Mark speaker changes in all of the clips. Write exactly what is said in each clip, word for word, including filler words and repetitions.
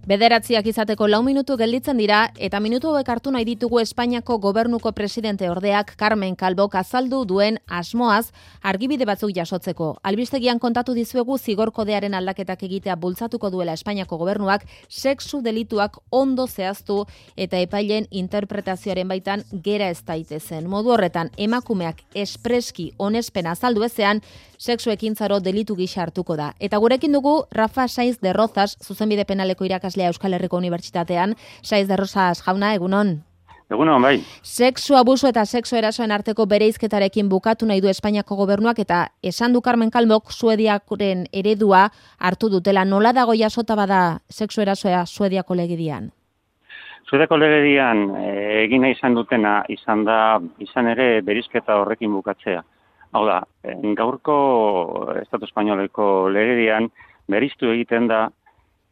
Speaker 1: Bederatziak izateko lau minutu gelditzen dira eta minutu hauek hartu nahi ditugu Espainiako gobernuko presidente ordeak Carmen Calvok azaldu duen asmoaz argibide batzuk jasotzeko. Albistegian kontatu dizuegu zigor kodearen aldaketak egitea bultzatuko duela Espainiako gobernuak sexu delituak ondo zehaztu eta epaileen interpretazioaren baitan gera ez daitezen. Modu horretan emakumeak espreski onespena azaldu ezean sexu ekintzaro delitu gisa hartuko da. Eta gurekin dugu Rafa Saiz de Rozas, zuzenbide penaleko irakaslea Euskal Herriko Unibertsitatean. Saiz de Rozas jauna, egunon.
Speaker 2: Egunon, bai.
Speaker 1: Sexu abuso eta sexu erasoen arteko bereizketarekin bukatu nahi du Espainiako gobernuak eta esan du Carmen Calvok Suediakoren eredua hartu dutela. Nola dago jasota bada sexu erasoa Suediako legedian?
Speaker 2: Suediako legedian e, egina izan dutena izan da izan ere bereizketa horrekin bukatzea. Hau da, gaurko Estatu Espainoleko legedian bereiztu egiten da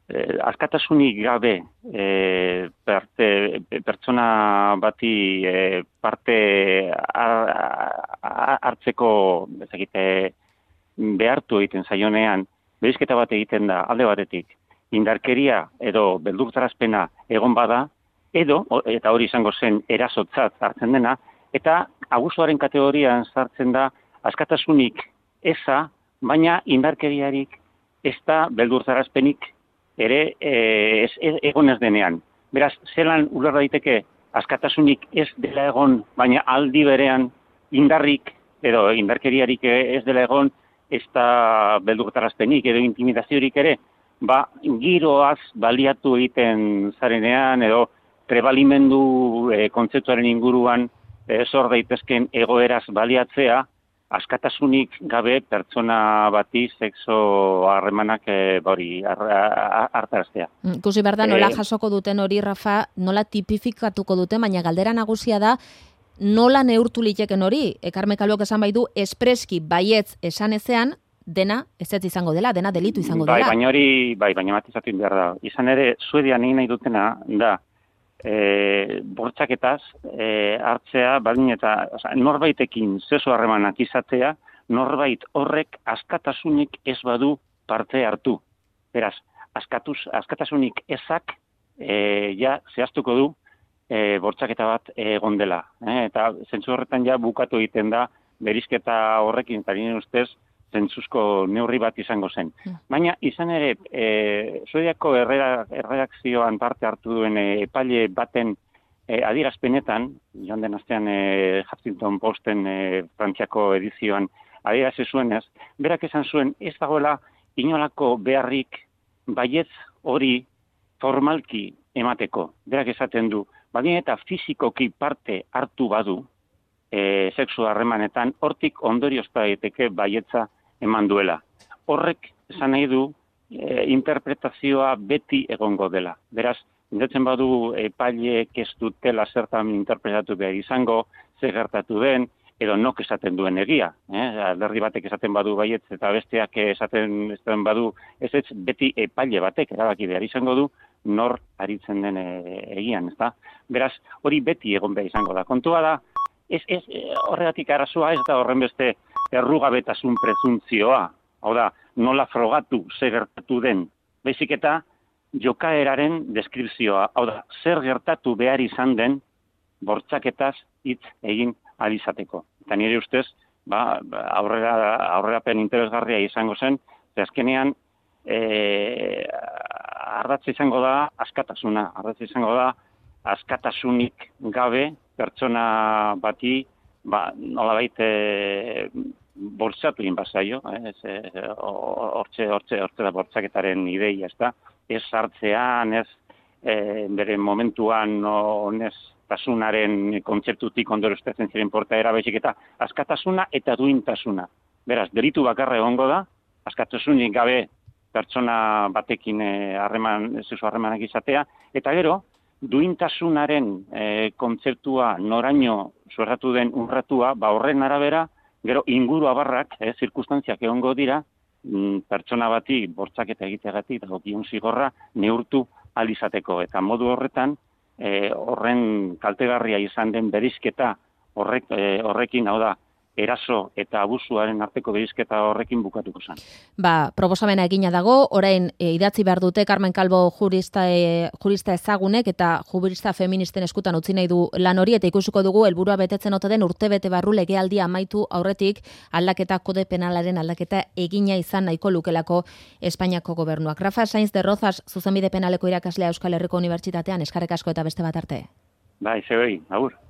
Speaker 2: eh, askatasunik gabe eh, parte, pertsona bati eh, parte har, hartzeko bezakite, behartu egiten zaionean, bereizketa bat egiten da alde batetik, indarkeria edo beldurtarazpena egon bada, edo, eta hori izango zen erasotzat hartzen dena, eta abusuaren kategorian sartzen da askatasunik eza, baina indarkeriarik ez da beldurtarazpenik ere e, ez, ez, egon ez denean. Beraz, zelan uler daiteke askatasunik ez dela egon, baina aldi berean indarrik edo indarkeriarik ez dela egon, ez da beldurtarazpenik edo intimidaziorik ere, ba, giroaz baliatu egiten zarenean edo trebalimendu e, kontzeptuaren inguruan e, zor daitezken egoeraz baliatzea, askatasunik gabe pertsona bati sexo harremanak e, hori hartaraztea.
Speaker 1: Ikusi behar da, nola jasoko duten hori, Rafa, nola tipifikatuko duten, baina galdera nagusia da, nola neurtu liteken hori? E, Carmen Calvok esan bai du, espreski baietz esan ezean, dena ezetz izango dela, dena delitu izango dela.
Speaker 2: Bai, baina hori, bai, baina matizatu behar da. Izan ere, Suedian egin nahi dutena da, E, bortxaketaz e, hartzea, baldin eta oza, norbaitekin sexu harremanak izatea, norbait horrek askatasunik ez badu parte hartu. Beraz, askatuz, askatasunik ezak e, ja zehaztuko du e, bortxaketa bat egon dela. E, eta zentzu horretan ja bukatu egiten da bereizketa horrekin, eta nire ustez, zentzuzko neurri bat izango zen. Baina, izan ere, e, Suediako erreakzioan parte hartu duen e, epaile baten e, adierazpenetan, joan den astean e, Huffington Posten e, Frantziako edizioan adierazi zuenez, berak esan zuen ez dagoela inolako beharrik baietz hori formalki emateko. Berak esaten du, baldin eta fizikoki parte hartu badu, e, sexu harremanetan, hortik ondorioz daiteke baietza eman duela. Horrek esan nahi du e, interpretazioa beti egongo dela. Beraz, indatzen badu epaileek ez dutela zertan interpretatu behar izango, zer gertatu den, edo nok esaten duen egia. Eh? Alderdi batek esaten badu baietz eta besteak esaten, esaten badu ez ez beti epaile batek erabaki behar izango du nor aritzen den egian. Ezta? Beraz, hori beti egon behar izango da. Kontua da, ez, ez, horregatik arazoa ez da horren beste errugabetasun prezuntzioa, hau da, nola frogatu zer gertatu den, baizik eta jokaeraren deskripzioa, hau da, zer gertatu behar izan den bortxaketaz hitz egin alizateko. Eta nire ustez, ba, aurrera, aurrerapen interesgarria izango zen, ze azkenean e, ardatza izango da askatasuna, ardatza izango da askatasunik gabe pertsona bati ba, nolabait e, bortzatu egin bazaio, hortxe, hortxe, hortxe da bortzaketaren ideia, ez da, ez hartzean, ez e, bere momentuan honez tasunaren kontzeptutik ondoroztetzen ziren portaera baizik eta askatasuna eta duintasuna. Beraz, delitu bakarra egongo da, askatasunik gabe pertsona batekin harreman, e, sexu harremanak izatea, eta gero, duintasunaren e, kontzeptua noraino zuerratu den urratua, ba horren arabera, gero inguru abarrak, e, zirkustantziak egongo dira, m, pertsona bati bortzaketa egiteagatik, dagokion zigorra neurtu alizateko. Eta modu horretan, e, horren kaltegarria izan den bereizketa horrek, e, horrekin, hau da, eraso eta abusuaren arteko berizketa horrekin bukatuko zen.
Speaker 1: Ba, proposamena egina dago, orain e, idatzi behar dute Carmen Calvo jurista, e, jurista ezagunek eta jurista feministen eskutan utzi nahi du lan hori, eta ikusiko dugu helburua betetzen ote den urtebete barru legealdia amaitu aurretik aldaketa kode penalaren aldaketa egina izan nahiko lukelako Espainiako gobernuak. Rafa Sainz de Rozas, zuzenbide penaleko irakaslea Euskal Herriko Unibertsitatean, eskerrik asko eta beste bat arte.
Speaker 2: Bai, zebei, agur.